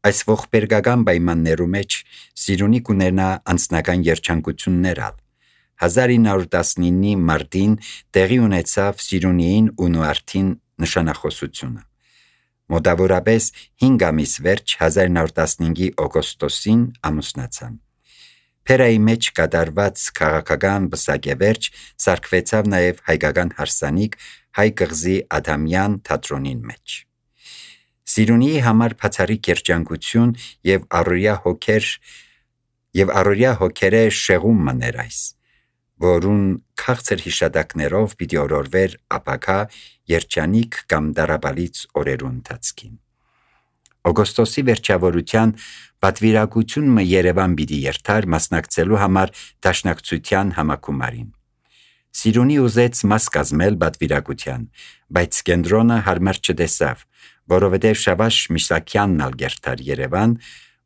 Այս ողբերգական պայմաններու մեջ Սիրունի կունենա անձնական երջանկություններ ալ։ 1919-ի մարտին տեղի ունեցավ Սիրունիին ու Նուարդին նշանախոսությունը։ Մոտավորապես 5 ամիս վերջ 1915-ի օգոստոսին ամուսնացան։ Փերայի մեջ կատարված քաղաքական բսակեվերջ սարքվեցավ նաև հայկական հարսանիք Հայ կղզի Ադամյան թատրոնին մեջ։ Սիրունիի համար բացառիկ երջանկություն եւ առօրյա հոգերը շեղում մներ այս, որուն քաղցր հիշատակներով պիտի օրորվեր ապագա երջանիկ կամ դարաբալից օրերու ընթացքին։ Օգոստոսի վերջավորության պատվիրակությունը Երևան պիտի երթար մասնակցելու համար դաշնակցության համակումարին։ Սիրունի ուզեց մաս կազմել պատվիրակության, բայց կենտրոնը հարմար չտեսավ, որովհետև Շավարժ Միսակյանն ալ երթար Երևան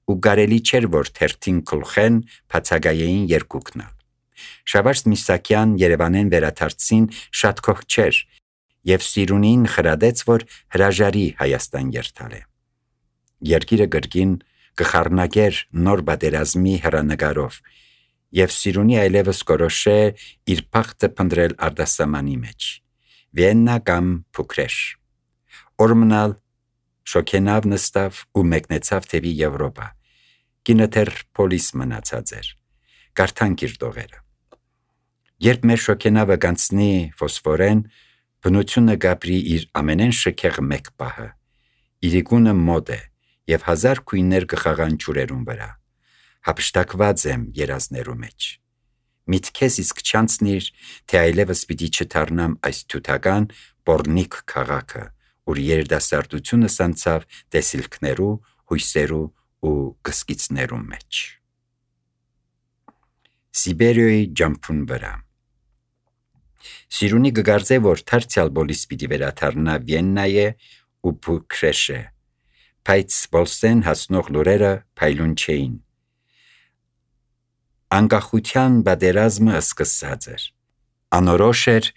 ու կարելի չէր, որ թերթին գլխեն բացակայեին երկուքն ալ։ Շավարժ Միսակյան Երևանեն վերադարձին շատ քող չէր եւ Սիրունին խրադեց, որ հրաժարի Հայաստան երթալը։ Երկիրը գրգին կխառնագեր նոր պատերազմի հեռանկարով եւ Սիրունի այլևս կորոշե իր փախտը փնտրել արտասահմանի մեջ։ Վիեննա կամ Փուքրեշ։ Օրմնալ շոքենավ նստավ ու մեկնեցավ թևի Եվրոպա։ Կինը թեր պոլիս մնացած էր։ Կարդանք իր դողերը։ Երբ մեր շոքենավը գանցնի ֆոսֆորեն, բնությունը գաբրի իր ամենեն շքեղ մեկ պահը։ Իրիկունը մոդ է եւ 1000 քույներ կխաղան ջուրերուն վրա։ Հապշտակված եմ երազներու մեջ։ Միտքես իսկ չանցնիր, թե այլևս պիտի չդառնամ այս թութական բորնիկ քաղաքը, ուր երիտասարդությունը սանցավ տեսիլքներու, հույսերու ու գսկիցներու մեջ։ Սիբերիոյի ջամփուն վրա։ Սիրունի գգարձե, որ թարցյալ բոլիս պիտի վերադառնա Վիեննայե ու Փուքրեշե, բայց բոլսեն հասնող լուրերը փայլուն չէին։ Անկախության պատերազմը սկսած էր։ Անորոշ էր,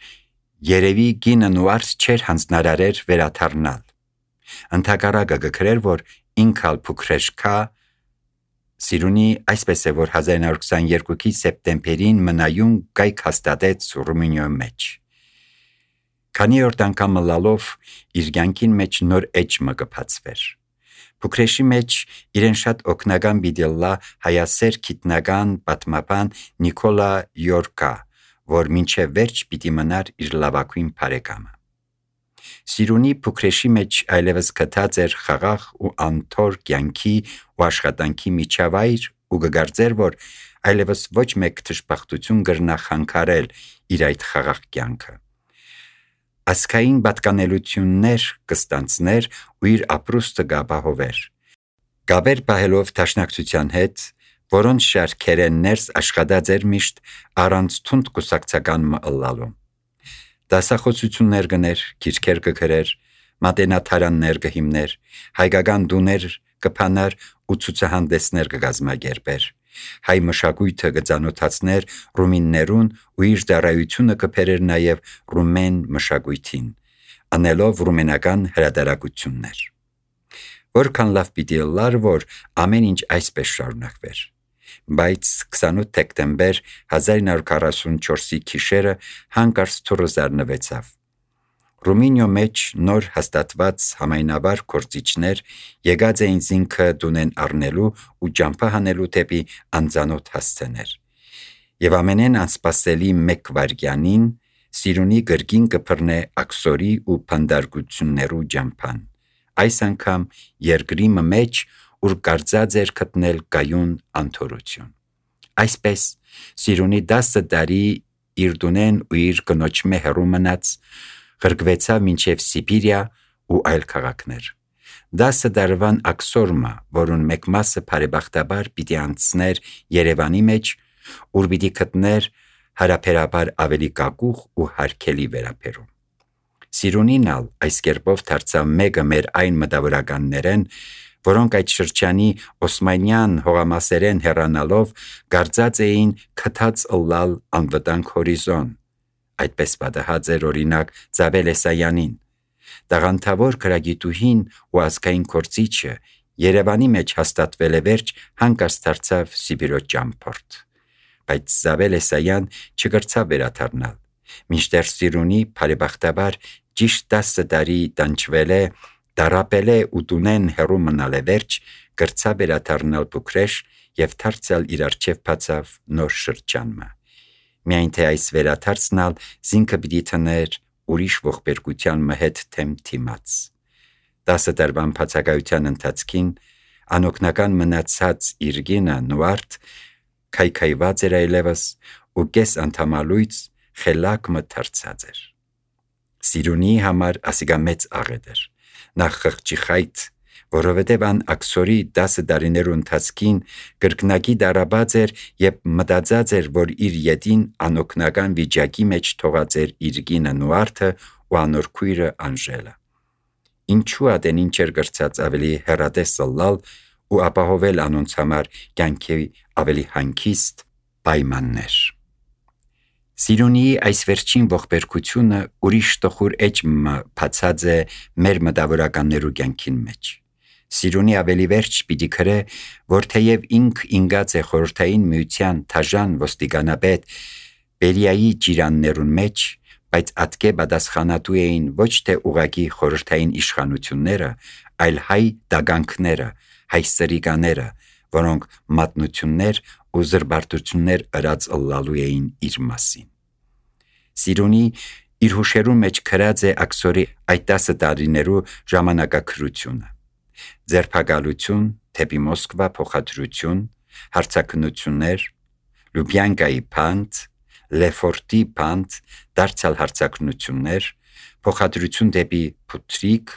երևի գինը Նուարդ չէր հանձնարարեր վերադառնալ։ Ընթակարակը գկրեր, որ ինքալ Փուքրեշ կա։ Սիրունի այսպես է, որ 1922-ի սեպտեմբերին մնայուն կայք հաստատեց Ռումինիոյի մեջ։ Քանի օր անգամ լալով իր կյանքին մեջ նոր էջը կբացվեր։ Փուքրեշի մեջ իրեն շատ օգնական բիդելլա հայասեր գիտնական պատմաբան Նիկոլա Յորկա, որ մինչև վերջ պիտի մնար իր լավագույն բարեկամը։ Սիրունի Փուքրեշի մեջ այլևս գտած էր խաղաղ ու անթոր կյանքի ու աշխատանքի միջավայր ու գգարձեր, որ այլևս ոչ մեկ դժբախտություն կրնա խանգարել իր այդ խաղաղ կյանքը։ Ասկային պատկանելություններ կստանցներ ու իր ապրուստը գաբահովեր։ Գաբեր պահելով դաշնակցության հետ, որոնց շարքերեն ներս աշխատած էր միշտ առանց թունդ կուսակցական մըլլալու։ Դասախոսություններ գներ, քիրքեր կգրեր, մատենաթարաններ կհիմներ, հայկական դուներ կփանար ու ցուցահանդեսներ կգազմագերբեր։ Հայ մշակույթը կծանոթացներ ռումիններուն ու իր դարայությունը կփերեր նաև ռումեն մշակույթին, անելով ռումենական հրատարակություններ։ Որքան լավ պիտի լար, որ ամեն ինչ այսպես շարունակվեր։ Բայց 28 դեկտեմբեր 1944-ի գիշերը հանկարծ թուրը զարնվեցավ։ Ռումինիո մեջ նոր հաստատված համայնավար գործիչներ եկած էին զինքը դունեն առնելու ու ճամփա հանելու դեպի անծանոթ հասցեներ։ Եվ ամենեն անսպասելի մեկ վայրկյանին Սիրունի գրգին կփռնե աքսորի ու փանդարգություններու ճամփան։ Այս անգամ երկրի մեջ, ուր կարծած էր գտնել գայուն անթորություն։ Այսպես Սիրունի 10 տարի իր դունեն ու իր կնոջմե հեռու մնաց, ղրկվեցավ մինչև Սիբիրիա ու այլ քաղաքներ։ 10 տարվան աքսորմը, որուն մեկ մասը բարեբախտաբար պիտի անցներ Երևանի մեջ, ուր պիտի գտներ հարաբերաբար ավելի կակուղ ու հարգելի վերաբերում։ Սիրունին ալ այս կերպով դարձավ մեկը մեր այն մտավորականներեն, որոնք այդ շրջանի օսմանյան հողամասերեն հեռանալով կարծած էին քթած ըլլալ անվտանգ հորիզոն։ Այդպես պատահած էր օրինակ Զաբել Էսայանին, տաղանդավոր գրագիտուհին ու ազգային գործիչը Երևանի մեջ հաստատվել է վերջ, հանկարծ դարձավ Սիբիրո ճամփորդ։ Բայց Զավել Էսայան չկրցավ վերադառնալ։ Մինչդեռ Սիրունի բարեբախտաբար ճիշտ 10 տարի տանջվել է, դարապել է ու տունեն հեռու մնալ է վերջ, կրցավ վերադառնալ Բուքրեշ եւ դարձյալ իր առջև բացավ նոր շրջանը։ Միայն թե այս վերադարձնալ զինքը պիտի թներ ուրիշ ողբերգության մհետ թեմ թիմաց։ 10 տարվան բացակայության ընթացքին անօգնական մնացած իր գինը Նուարդ քայքայված էր այլևս ու կես անդամալույց խելակ մթարցած էր։ Սիրունի համար ասիգա մեծ աղետ էր։ Նախ խղճի խայտ, որովհետև ան աքսորի 10 տարիներու ընթացքին կրկնակի դարաբած էր եւ մտածած էր, որ իր ետին անօգնական վիճակի մեջ թողած էր իր գինը Նուարդը ու անոր քույրը Անժելը։ Ինչու ադեն ինչ էր գրծած ավելի հեռատես լալ ու ապահովել անոնց համար կյանքի ավելի հանգիստ պայմաններ։ Սիրունիի այս վերջին ողբերգությունը ուրիշ տխուր էջը բացած է մեր մտավորականներու կյանքին մեջ։ Սիրունի ավելի վերջ պիտի քրե, որ թեև ինգած է խորհրդային միության թաժան ոստիկանապետ Բերիայի ջիրաններուն մեջ, բայց ատկե պատասխանատու էին ոչ թե ուղակի խորհրդային իշխանությունները, այլ հայ դագանքները, հայ սրիկաները, որոնք մատնություններ ու զրբարտություններ ըրած ըլլալու էին իր մասին։ Սիրունի իր հուշերու մեջ քրած է աքսորի այդ 10 տարիներու ժամանակակրությունը։ Ձերբակալություն, թեպի Մոսկվա փոխադրություն, հարցակնություններ, Լուբյանկայի փանդ, Լեֆորտի փանդ, դարձյալ հարցակնություններ, փոխադրություն դեպի Փուտրիկ,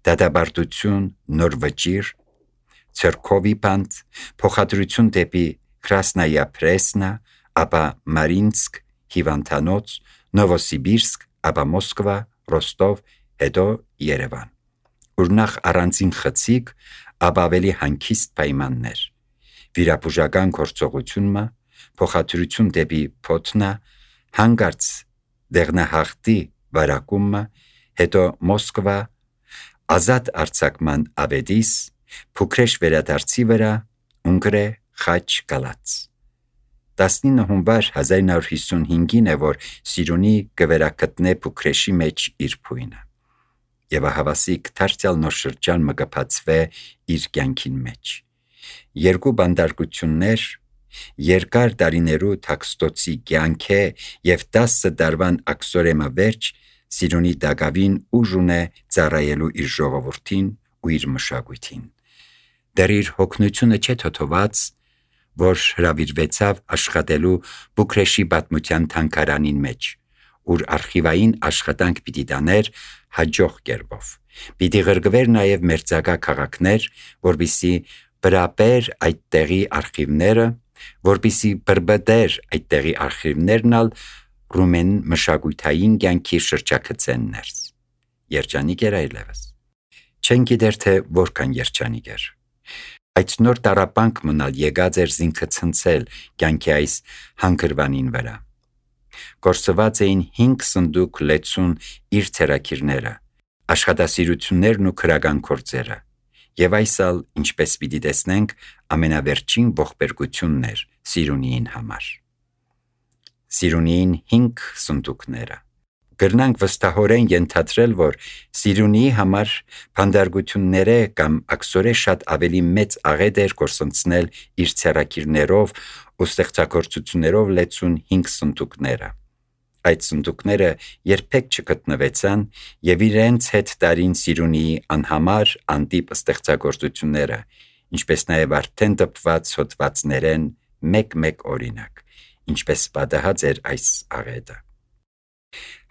դադաբարտություն, նոր վճիր, Ցերկովի փանդ, փոխադրություն դեպի Կրասնայա Պրեսնա, ապա Մարինսկ, Հիվանդանոց, Նովոսիբիրսկ, ապա Մոսկվա, Ռոստով, հետո Երևան։ Ուրնախ առանձին խցիկ, ապա ավելի հանգիստ պայմաններ։ Վիրապուժական գործողությունը, փոխադրություն դեպի Փոթնա, հանգարց դեղնահաղթի վարակումը, հետո Մոսկվա, ազատ արձակման ավետիս, Փուքրեշ վերադարձի վրա, Ունգրե, Խաչ, Գալաց։ 19 հունվար 1955-ին է, որ Սիրունի կվերակտնե Փուքրեշի մեջ իր փույնը։ Եվ ահավասիկ դարձյալ նոր շրջան մը կբացվե իր կյանքին մեջ։ Երկու բանդարկություններ, երկար տարիներու թաքստոցի կյանք է եւ 10 տարվան աքսորեմա վերջ Սիրունի դակավին ուժ ունե ծառայելու իր ժողովրդին ու իր մշակույթին։ Դեռ իր հոգնությունը չէ թոթոված, որ հրավիրվեցավ աշխատելու Բուքրեշի պատմության թանգարանին մեջ, ուր արխիվային աշխատանք պիտի տաներ հաջող կերպով։ Պիտի ղրգվեր նաև մերձակա քաղաքներ, որպիսի բրապեր այդ տեղի արխիվները, որպիսի բրբդեր այդ տեղի արխիվներն ալ ռումեն մշակույթային կյանքի շրջակցեն ներս։ Երջանիկ էր այլևս։ Չեն գիտեր թե որքան երջանիկ էր։ Այդ նոր տարապանք մնալ եկած էր զինքը ցնցել կյանքի այս հանգրվանին վրա։ Կորսված էին 5 սնդուկ լեցուն իր ցերակիրները, աշխատասիրություններն ու քրական գործերը, եւ այսալ, ինչպես պիտի տեսնենք, ամենավերջին ողբերգությունն էր Սիրունիին համար։ Սիրունիին 5 սնդուկները։ Գրնանք վստահորեն ենթադրել, որ Սիրունիի համար փանդարգությունները կամ աքսորե շատ ավելի մեծ աղետ էր գործընծնել իր ցերակիրներով ու ստեղծագործություններով լեցուն 5 սնդուկները։ Այդ սնդուկները երբեք չգտնվեցան եւ իրենց հետ տարին Սիրունիի անհամար անտիպ ստեղծագործությունները, ինչպես նաեւ արդեն դպված հոդվածներեն մեկ օրինակ, ինչպես պատահած էր այս աղետը։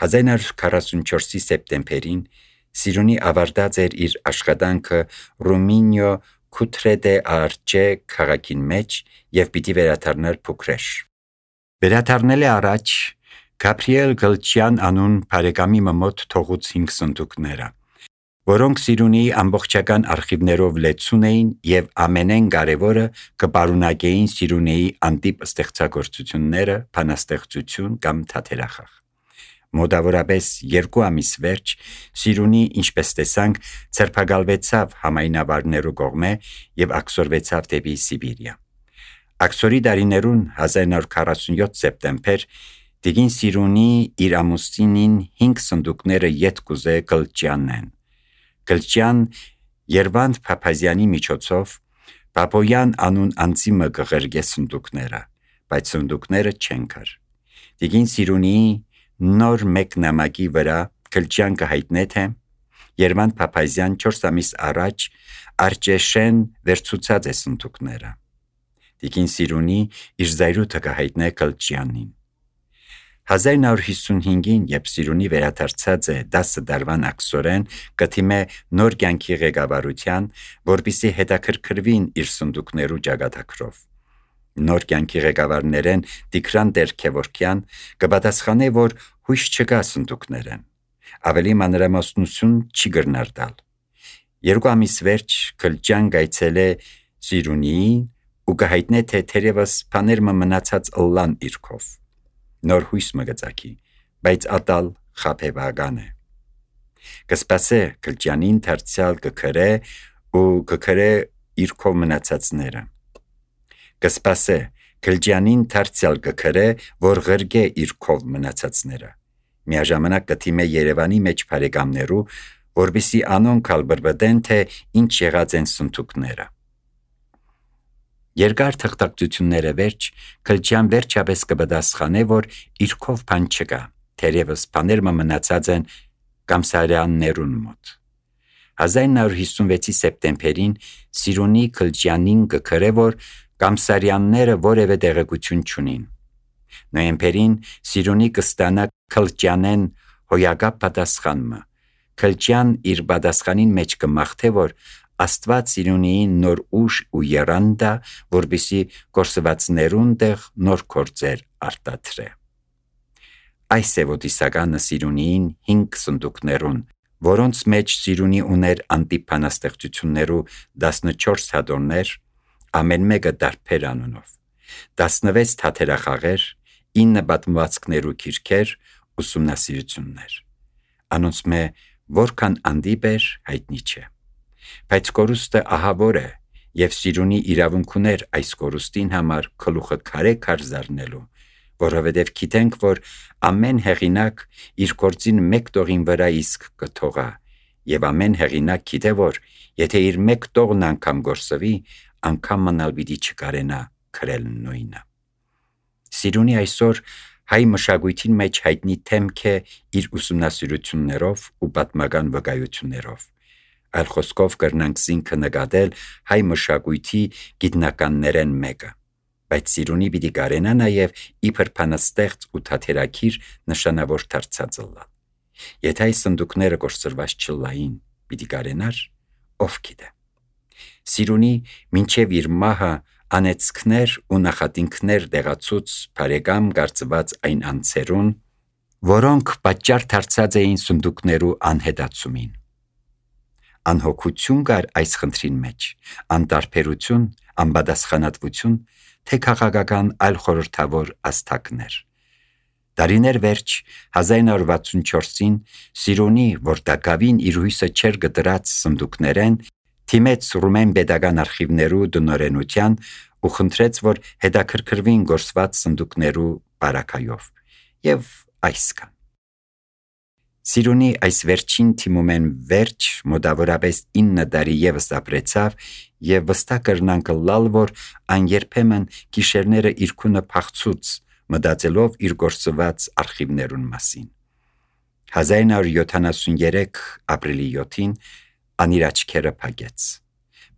1944-ի սեպտեմբերին Սիրունի ավարտած էր իր աշխատանքը Ռումինիո Քութրեդե Արջե քաղաքին մեջ եւ պիտի վերադառնար Փուքրեշ։ Վերադառնել է առաջ Գաբրիել Գլչյան անուն բարեկամի մոտ թողուց 5 սնդուկները, որոնք Սիրունիի ամբողջական արխիվներով լեցուն էին եւ ամենեն կարեւորը կպարունակեին Սիրունիի անտիպ ստեղծագործությունները, բանաստեղծություն կամ թատերախաղ։ Մոտավորապես 2 ամիս վերջ Սիրունի, ինչպես տեսանք, ցերպակալվեցավ համայնավարներու կողմէ եւ աքսորվեցավ դեպի Սիբիրիա։ Աքսորի դարիներուն 1947 սեպտեմբեր Տիկին Սիրունի իր ամուսինին 5 սնդուկները ետ կուզե Կլճյանեն։ Կլճյան Երվանդ Փափազյանի միջոցով Պապոյան անուն անձիմը կղրգե սնդուկները, բայց սնդուկները չեն կար։ Տիկին Սիրունիի նոր մեկ նամակի վրա Կլճյան կհայտնե թե Երվանդ Փափազյան 4 ամիս առաջ Արջեշեն վերցուցած է սնդուկները։ Տիկին Սիրունի իր զայրույթը կհայտնե Կլճյանին։ 1955-ին, երբ Սիրունի վերադարձած է 10 դարվան աքսորեն, կթիմե նոր կյանքի ղեկավարության, որպեսզի հետաքրքրվին իր սնդուկներու ճակատագրով։ Նոր կյանքի ղեկավարներեն Տիգրան Տեր-Քևորքյան կպատասխանե, որ հույս չկա սնդուկներեն։ Ավելի մանրամասնություն չի գրնար տալ։ 2 ամիս վերջ Կլճյան գայցել է Սիրունիին ու կհայտնե թե թերևս բաներմը մնացած ըլլան իրքով։ Նոր հույս մը գծակի, բայց ատալ խափեվական է։ Կսպասե Կլճյանին դարձյալ կքրե ու կքրե իրքով մնացածները։ Կսպասե Կլճյանին դարձյալ կքրե, որ ղրգե իրքով մնացածները։ Միաժամանակ կթիմե Երևանի մեջ բարեկամներու, որպեսզի անոնք ալբրբդեն, թե ինչ եղած են սնդուկները։ Երկար թղթակցությունները վերջ, Կլճյան վերջապես կպատասխանե, որ իրքով բան չկա, թերևս բաներմը մնացած են Կամսարյաններուն մոտ։ 1956-ի սեպտեմբերին Սիրունի Կլճյանին կքրե, որ Կամսարյանները որևէ տեղեկություն չունին։ Նոյեմբերին Սիրունի կստանա Կլճյանեն հոյակապ պատասխանը։ Կլճյան իր պատասխանին մեջ կմաղթե, որ Աստված Սիրունիին նոր ուժ ու եռանդա, որպեսզի կորսվածներուն տեղ նոր գործեր արտադրե։ Այս է ոտիսականը Սիրունիին 5 սնդուկներուն, որոնց մեջ Սիրունի ուներ անտիփանաստեղծություններու 14 հատորներ, ամեն մեկը դարբեր անունով, 16 թաթերախաղեր, 9 պատմվածքներու գիրքեր, ուսումնասիրություններ։ Անոնց մե որքան անդիպ էր հայտնի չէ։ Բայց կորուստը ահավոր է, եւ Սիրունի իրավունք ուներ այս կորուստին համար գլուխը քարե զարնելու, որովհետև գիտենք, որ ամեն հեղինակ իր գործին մեկ տողին վրա իսկ կթողա, եւ ամեն հեղինակ գիտե, որ եթե իր մեկ տողն անգամ գործվի, անգամ մնալ պիտի չկարենա քրել նույնը։ Սիրունի այսօր հայ մշակույթին մեջ հայտնի թեմք է իր ուսումնասիրություններով ու պատմական վկայություններով։ Այլ խոսքով կրնանք զինքը նկատել հայ մշակույթի գիտնականներեն մեկը, բայց Սիրունի պիտի կարենա նաև իբր բանաստեղծ ու թատերագիր նշանավոր դարձած ըլլալ։ Եթե այս սնդուկները կորսրված չլային, պիտի կարենար, ով գիտե։ Սիրունի մինչև իր մահը անեծքներ ու նախատինքներ դեղացուց բարեկամ կարծված այն անձերուն, որոնք պատճառ դարձած էին սնդուկներու անհետացումին։ Անհոգություն կար այս խնդրին մեջ, անտարբերություն, անպատասխանատվություն, թե քաղաքական այլ խորհրդավոր աստակներ։ Դարիներ վերջ 1964-ին Սիրունի, որ դակավին իր հույսը չեր գտրած սնդուկներեն, թիմեց ռումեն պետական արխիվներու դնորենության ու խնդրեց, որ հետաքրքրվին գործված սնդուկներու բարակայով եւ այսքան։ Սիրունի այս վերջին թիմումեն վերջ մոտավորապես 9 տարի եւս ապրեցավ եւ վստահ կրնանք լալ, որ այն երբեմն գիշերները իր քունը փախցուց, մտածելով իր գործված արխիվներուն մասին։ 1973 ապրիլի 7-ին անիր աչքերը փակեց։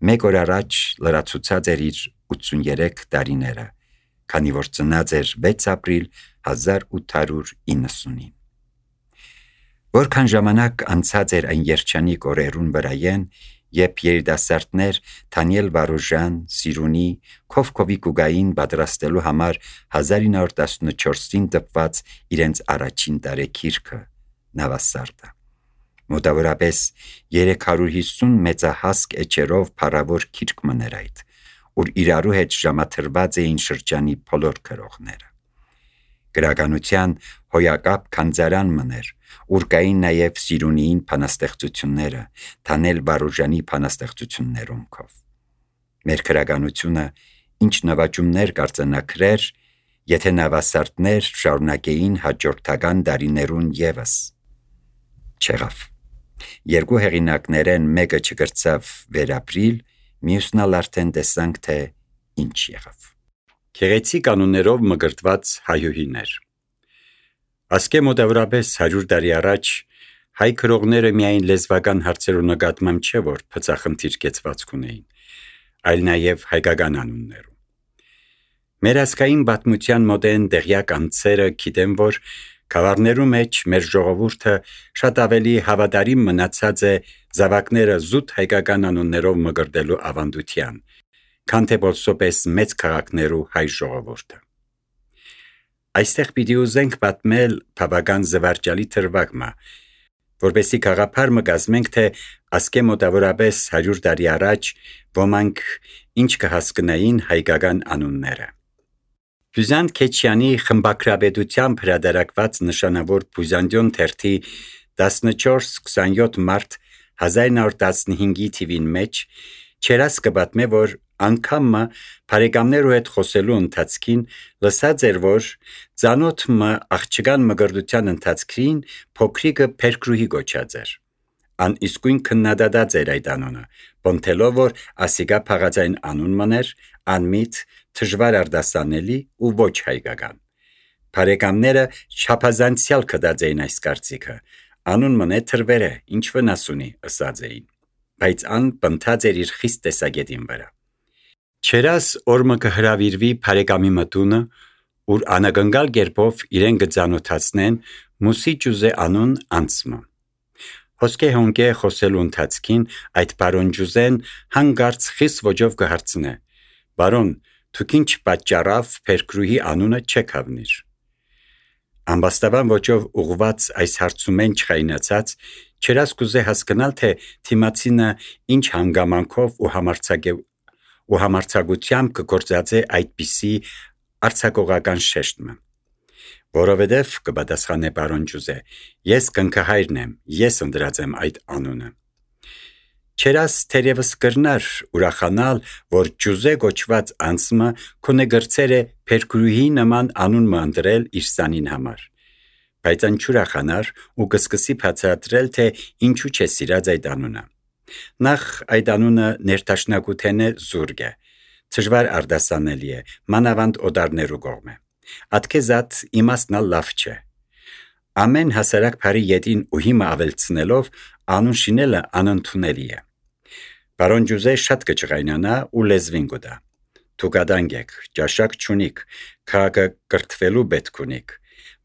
Մեկ օր առաջ լրացուցած էր իր 83 տարիները, քանի որ ծնած էր 6 ապրիլ 1890-ին։ Որքան ժամանակ անցած էր այն երջանիկ օրերուն վրայեն, երբ երիտասարդներ Դանիել Վարուժան, Սիրունի, Քովկովի կուգային պատրաստելու համար 1914-ին տպված իրենց առաջին տարեգիրքը Նավասարդը։ Մոտավորապես 350 մեծահասկ էջերով փառավոր գիրք մներ այդ, ուր իրարու հետ ժամաթրված էին շրջանի բոլոր գրողները։ Գրականության հոյակապ քանձարան մներ, ուր կային նաև Սիրունիին փանաստեղծությունները, Թանել Բարուժանի փանաստեղծություններունքով։ Մեր քրագանությունը ինչ նվաճումներ կարծենաքրեր, եթե նավասարդներ շարունակեին հաջորդական դարիներուն ևս։ Չեղավ։ Երկու հեղինակներեն մեկը չգրծավ վերապրիլ, մյուսն ալ արդեն տեսանք, թե ինչ եղավ։ Գեղեցիկ անուններով մկրտված հայուհիներ։ Ասկե մոտավորապես 100 տարի առաջ հայ քրողները միայն լեզվական հարցերու նկատմամբ չէ, որ փծախնդիր կեցվածք ունեին, այլ նաև հայկական անուններու։ Մեր ազգային պատմության մոդեն դեղյակ անձերը գիտեն, որ գավառներու մեջ մեր ժողովուրդը շատ ավելի հավատարիմ մնացած է զավակները զուտ հայկական անուններով մկրտելու ավանդության, քան թե բոլսոպես մեծ քաղաքներու հայ ժողովուրդը։ Այստեղ պիտի ուզենք պատմել բավական զվարճալի թրվագմա, որպեսզի գաղափար մգազմենք, թե ասկե մոտավորապես 100 տարի առաջ ոմանք ինչ կհասկնային հայկական անունները։ Բյուզանտ Քեչյանի խմբագրաբեդությամբ հրատարակված նշանավոր Բյուզանդիոն թերթի 14-27 մարտ 1915 թիվին մեջ Չերաս կպատմե, որ անգամը բարեկամներու հետ խոսելու ընթացքին լսած էր, որ ծանոթը աղջկան մկրտության ընթացքին փոքրիկը Փերկրուհի գոչած էր։ Ան իսկույն քննադատած էր այդ անունը, բնթելով, որ ասիկա փաղածային անուն մներ, անմիտ, դժվար արտասանելի ու ոչ հայկական։ Բարեկամները չափազանցյալ կդած էին այս կարծիքը, անուն մնե թրվերը, ինչ վնաս ունի, ըսած էին, բայց ան բնթած էր իր խիստ տեսակետին վրա։ Չերաս օրմը կհրավիրվի բարեկամի մտունը, ուր անագնգալ գերբով իրեն կծանոթացնեն Մուսի Ջուզե անուն անցմը։ Հոսկե հոնկե խոսելու ընթացքին այդ բարոն Ջուզեն հանգարց խիստ ոճով կհարցնե. «Բարոն, դուք ինչ պատճառավ Փերկրուհի անունը չեք հավնիր»։ Ամբաստավան ոճով ուղված այս հարցումեն չխայնացած, Չերաս կուզե հասկանալ, թե թիմացինը ինչ հանգամանքով ու համարձակությամբ կգործածե այդպիսի արձակողական շեշտը։ Որովհետև կպատասխանե բարոն Ջուզե, ես կնքահայրն եմ, ես ընտրած եմ այդ անունը։ Չերաս թերևս կրնար ուրախանալ, որ Ջուզե գոչված անձը քոնե գրծեր է Փերկրուհի նման անուն ընտրել իր սանին համար, բայց անչուրախանար ու կսկսի բացատրել, թե ինչու չէ սիրած այդ անունը։ Նախ այդ անունը ներդաշնակութենե զուրկ է, դժվար արտասանելի է, մանավանդ օտարներու կողմէ։ Ատքեզատ իմաստնալ լավ չէ։ Ամեն հասարակ բարի ետին ու հիմա ավելցնելով անուն շինելը անընդունելի է։ Բարոն Ջուզե շատ կճղայնանա ու լեզվին կուտա։ Դուք ադանք եք, ճաշակ չունիք, քաղաքը կրթվելու պետք ունիք,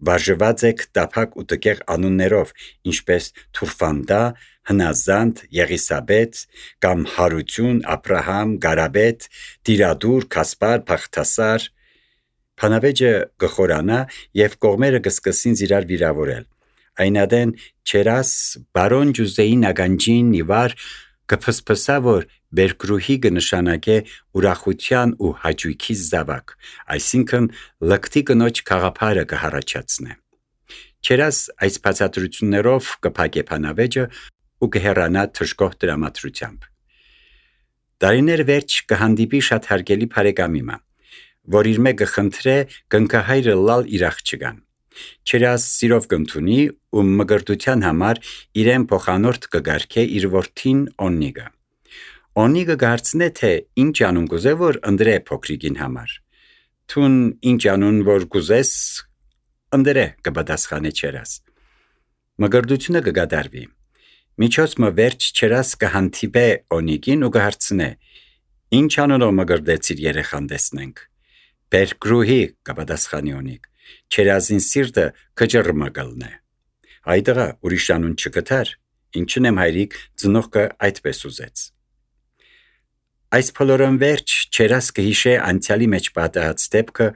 վարժված եք տափակ ու տկեղ անուններով, ինչպես Թուրֆանդա, Հնազանդ, Եղիսաբեթ, կամ Հարություն, Աբրահամ, Գարաբեթ, Տիրադուր, Կասպար, Փախտասար։ Փանավեճը կխորանա և կողմերը կսկսին իրար վիրավորել։ Այնադեն Չերաս բարոն Ջուզեի նագանջին իվար կփսփսա, որ Փերկրուհի կնշանակե ուրախության ու հաճույքի զավակ, այսինքն լկտի կնոջ գաղափարը կհառաջացնե։ Չերաս այս բացատրություններով կփակե փանավեճը ու կհեռանա թշկող տրամադրությամբ։ Տարիներ վերջ կհանդիպի շատ հարգելի բարեկամիմը, որ իր մեկը խնդրե կնքահայրը լալ իր աղջկան։ Չերաս սիրով կընդունի ու մկրտության համար իրեն փոխանորդ կգարկե իր որդին Օննիգը։ Օննիգը կհարցնե, թե ինչ անուն կուզե, որ ընտրե փոքրիկին համար։ Թուն ինչ անուն որ կուզես, ընտրե, կպատասխանե Չերաս։ Մկրտությունը կկատարվի։ Միջոցը վերջ Չերաս կհանդիպե Օննիգին ու կհարցնե. «Ինչ անունով մկրտեցիր երեխան տեսնենք»։ Փերկրուհի, կպատասխանի Օննիգ։ Չերազին սիրտը կճռմը կլնե։ Այդղա ուրիշ անուն չկտար, ինչն եմ հայրիկ ծնողքը այդպես ուզեց։ Այս փոլորոն վերջ Չերաս կհիշե անցյալի մեջ պատահած դեպքը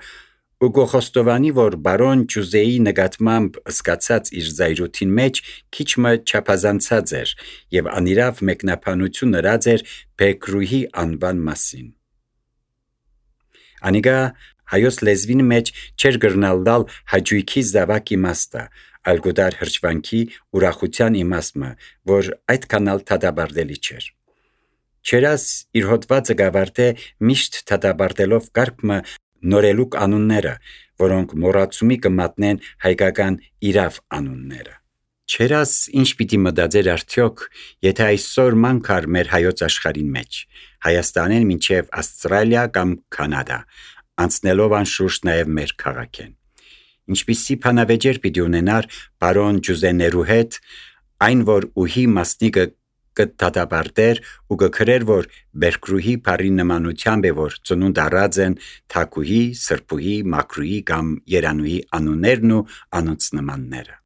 ու կխոստովանի, որ բարոն Ջուզեի նկատմամբ զգացած իր զայրույթին մեջ քիչմը չափազանցած էր և անիրավ մեկնաբանություն ըրած էր Փերկրուհի անվան մասին։ Անիկա Հայոց լեզվին մեջ չէր գրնալ դալ հաճույքի զավակ իմաստը, այլ գուտար հրճվանքի ուրախության իմաստը, որ այդքան ալ թադաբարդելի չէր։ Չերաս իր հոդվածը գավարտե միշտ թադաբարդելով կարգը նորելուկ անունները, որոնք մոռացումի կմատնեն հայկական իրավ անունները։ Չերաս ինչ պիտի մտածեր արդյոք, եթե այսօր մանկար մեր հայոց աշխարհին մեջ, Հայաստանեն մինչև Ավստրալիա կամ Կանադա, անցնելով անշուշտ նաև մեր քաղաքեն։ Ինչպիսի բանավեճեր պիտի ունենար բարոն Ջուզեներու հետ, այն որ ուհի մասնիկը կդատաբարտեր ու կգրեր, որ Բերկրուհի բարի նմանությամբ է, որ ծնունդ առած են Թակուհի, Սրբուհի, Մակրուհի կամ Երանուհի անուններն ու անոնց նմանները։